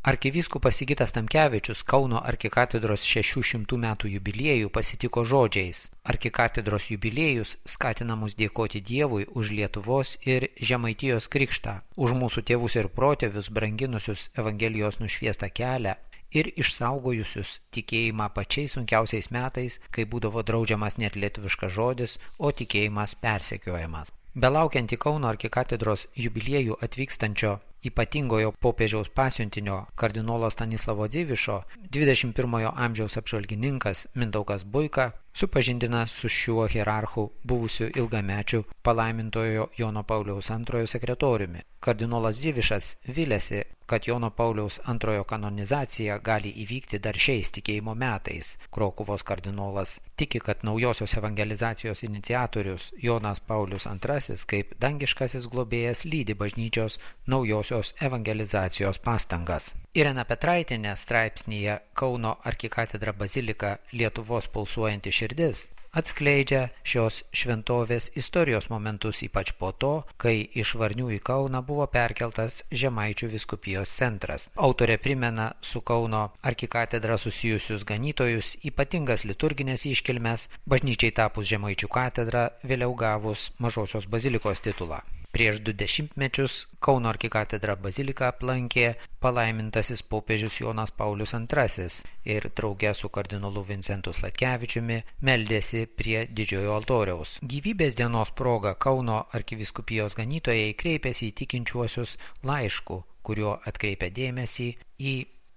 Arkivyskupas Sigitas Tamkevičius Kauno arkikatedros 600 metų jubiliejų pasitiko žodžiais: Arkikatedros jubiliejus skatina mus dėkoti Dievui už Lietuvos ir Žemaitijos krikštą, už mūsų tėvus ir protėvius branginusius Evangelijos nušviestą kelią ir išsaugojusius tikėjimą pačiais sunkiausiais metais, kai būdavo draudžiamas net lietuviškas žodis, o tikėjimas persekiojamas. Belaukiant į Kauno arkikatedros jubiliejų atvykstančio ypatingojo popiežiaus pasiuntinio kardinolo Stanislavo Dzivišo, 21 amžiaus apžvalgininkas Mindaugas Buika supažindina su šiuo hierarchu buvusiu ilgamečiu palaimintojo Jono Pauliaus II sekretoriumi. Kardinolas Dzivišas vilėsi, kad Jono Pauliaus II kanonizacija gali įvykti dar šiais tikėjimo metais. Krokuvos kardinolas tiki, kad naujosios evangelizacijos iniciatorius Jonas Paulius II kaip dangiškasis globėjas lydi bažnyčios naujosios evangelizacijos pastangas. Irena Petraitienė straipsnyje Kauno arkikatedra bazilika Lietuvos pulsuojanti širdis atskleidžia šios šventovės istorijos momentus, ypač po to, kai iš Varnių į Kauną buvo perkeltas Žemaičių vyskupijos centras. Autorė primena su Kauno arkikatedra susijusius ganytojus, ypatingas liturginės iškilmes, bažnyčiai tapus Žemaičių katedra, vėliau gavus Mažosios bazilikos titulą. Prieš 20 mečius Kauno arkikatedrą baziliką aplankė palaimintasis popiežius Jonas Paulius II ir drauge su kardinolu Vincentu Sladkevičiumi meldėsi prie didžiojo altoriaus. Gyvybės dienos proga Kauno arkivyskupijos ganytojai kreipėsi į tikinčiuosius laišku, kuriuo atkreipė dėmesį į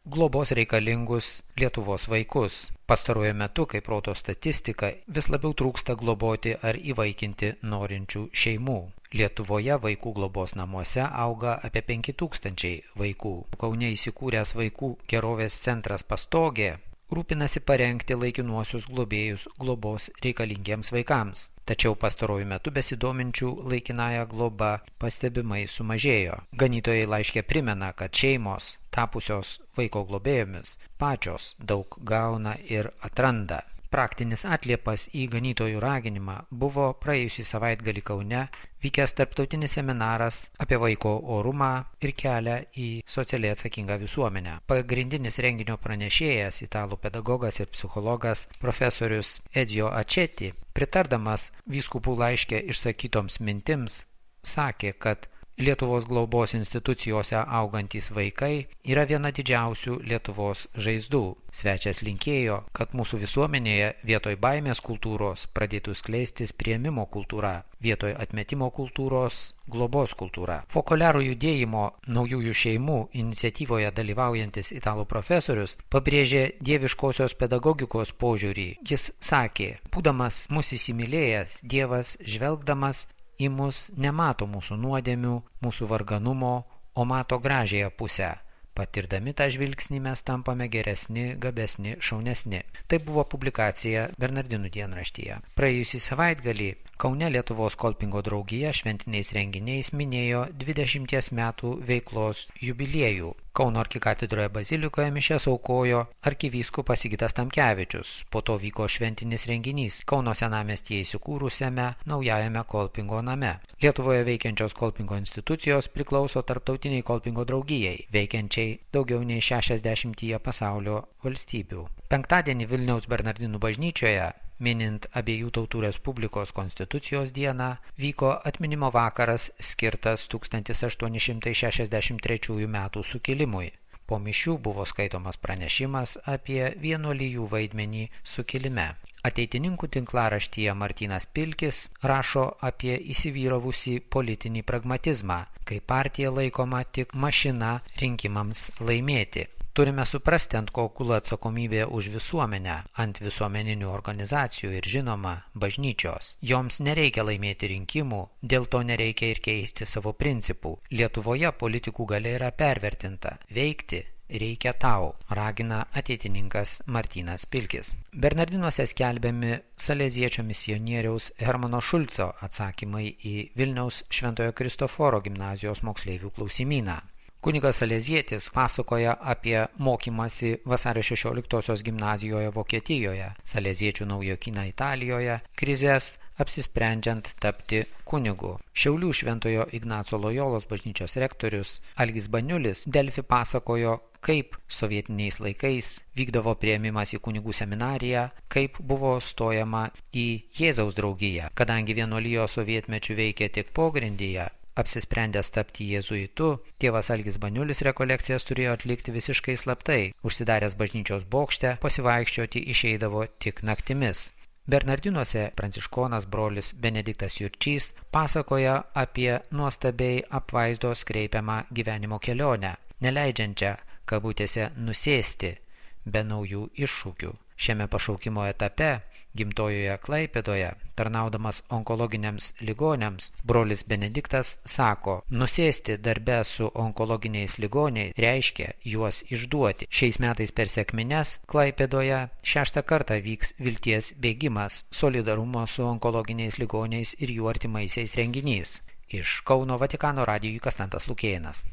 globos reikalingus Lietuvos vaikus. Pastaruoju metu, kaip rodo statistika, vis labiau trūksta globoti ar įvaikinti norinčių šeimų. Lietuvoje vaikų globos namuose auga apie 5000 vaikų. Kaune įsikūręs vaikų gerovės centras Pastogė rūpinasi parengti laikinuosius globėjus globos reikalingiems vaikams. Tačiau pastaruoju metu besidominčių laikinąją globą pastebimai sumažėjo. Ganytojai laiške primena, kad šeimos, tapusios vaiko globėjomis, pačios daug gauna ir atranda. Praktinis atliepas į ganytojų raginimą buvo praėjusį savaitgalį Kaune vykęs tarptautinis seminaras apie vaiko orumą ir kelią į socialiai atsakingą visuomenę. Pagrindinis renginio pranešėjas, italų pedagogas ir psichologas profesorius Edzio Ačeti, pritardamas vyskupų laiške išsakytoms mintims, sakė, kad Lietuvos globos institucijose augantys vaikai yra viena didžiausių Lietuvos žaizdų. Svečias linkėjo, kad mūsų visuomenėje vietoj baimės kultūros pradėtų skleistis priėmimo kultūra, vietoj atmetimo kultūros globos kultūra. Fokolero judėjimo naujųjų šeimų iniciatyvoje dalyvaujantis italų profesorius pabrėžė dieviškosios pedagogikos požiūrį. Jis sakė, būdamas mus įsimylėjęs, Dievas žvelgdamas į mus nemato mūsų nuodėmių, mūsų varganumo, o mato gražiąją pusę. Patirdami tą žvilgsnį mes tampame geresni, gabesni, šaunesni. Tai buvo publikacija Bernardinų dienraštyje. Praėjusį savaitgalį Kaune Lietuvos kolpingo draugija šventiniais renginiais minėjo 20 metų veiklos jubiliejų. Kauno arkikatedroje bazilikoje mišias aukojo arkivyskupas Sigitas Tamkevičius. Po to vyko šventinis renginys Kauno senamiestyje įsikūrusiame naujajame kolpingo name. Lietuvoje veikiančios kolpingo institucijos priklauso tarptautiniai kolpingo draugijai, veikiančiai daugiau nei 60 pasaulio valstybių. Penktadienį Vilniaus Bernardinų bažnyčioje, minint Abiejų tautų Respublikos konstitucijos dieną, vyko atminimo vakaras skirtas 1863 metų sukilimui. Po mišių buvo skaitomas pranešimas apie vienuolijų vaidmenį sukilime. Ateitininkų tinklaraštyje Martynas Pilkis rašo apie įsivyravusį politinį pragmatizmą, kai partija laikoma tik mašina rinkimams laimėti. Turime suprasti, ant ko gula atsakomybė už visuomenę, ant visuomeninių organizacijų ir žinoma bažnyčios. Joms nereikia laimėti rinkimų, dėl to nereikia ir keisti savo principų. Lietuvoje politikų galia yra pervertinta. Veikti reikia tau, ragina ateitininkas Martynas Pilkis. Bernardinuose skelbiami saleziečio misionieriaus Hermano Šulco atsakymai į Vilniaus Šventojo Kristoforo gimnazijos moksleivių klausimyną. Kunigas Salezietis pasakoja apie mokymąsi vasario 16-osios gimnazijoje Vokietijoje, saleziečių naujokyną Italijoje, krizės apsisprendžiant tapti kunigu. Šiaulių Šventojo Ignaco Lojolos bažnyčios rektorius Algis Baniulis Delfi pasakojo, kaip sovietiniais laikais vykdavo priėmimas į kunigų seminariją, kaip buvo stojama į Jėzaus draugiją. Kadangi vienuolijos sovietmečių veikė tik pogrindyje, apsisprendęs tapti jėzuitu, tėvas Algis Baniulis rekolekcijas turėjo atlikti visiškai slaptai. Užsidaręs bažnyčios bokšte, pasivaikščioti išeidavo tik naktimis. Bernardinuose pranciškonas brolis Benediktas Jurčys pasakoja apie nuostabiai apvaizdos kreipiamą gyvenimo kelionę, neleidžiančią, kabutėse, nusėsti be naujų iššūkių. Šiame pašaukimo etape, gimtojoje Klaipėdoje, tarnaudamas onkologiniams ligoniams, brolis Benediktas sako, nusėsti darbe su onkologiniais ligoniais reiškia juos išduoti. Šiais metais per sekmines Klaipėdoje 6. kartą vyks vilties bėgimas, solidarumo su onkologiniais ligoniais ir jų artimaisiais renginys. Iš Kauno Vatikano radijui Konstantas Lukėnas.